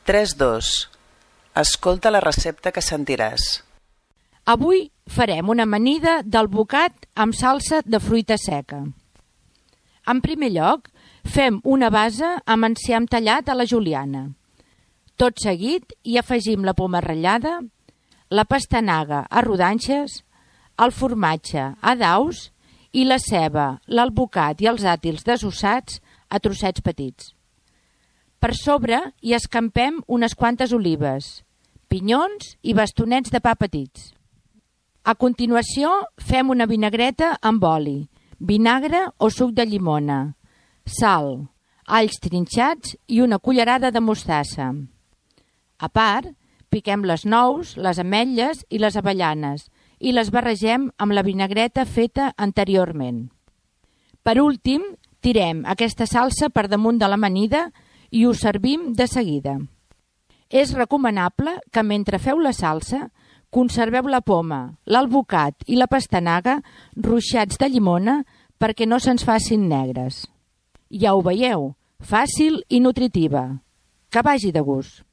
3-2. Escolta la recepta que sentiràs. Avui farem una amanida d'alvocat amb salsa de fruita seca. En primer lloc, fem una base amb enciam tallat a la juliana. Tot seguit hi afegim la poma ratllada, la pastanaga a rodanxes, el formatge a daus i la ceba, l'alvocat i els dàtils desossats a trossets petits. Per sobre hi escampem unes quantes olives, pinyons i bastonets de pa petits. A continuació fem una vinagreta amb oli, vinagre o suc de llimona, sal, alls trinxats i una cullerada de mostassa. A part, piquem les nous, les ametlles i les avellanes i les barregem amb la vinagreta feta anteriorment. Per últim, tirem aquesta salsa per damunt de l'amanida i ho servim de seguida. És recomanable que mentre feu la salsa conserveu la poma, l'alvocat i la pastanaga ruixats de llimona perquè no se'ns facin negres. Ja ho veieu, fàcil i nutritiva. Que vagi de gust!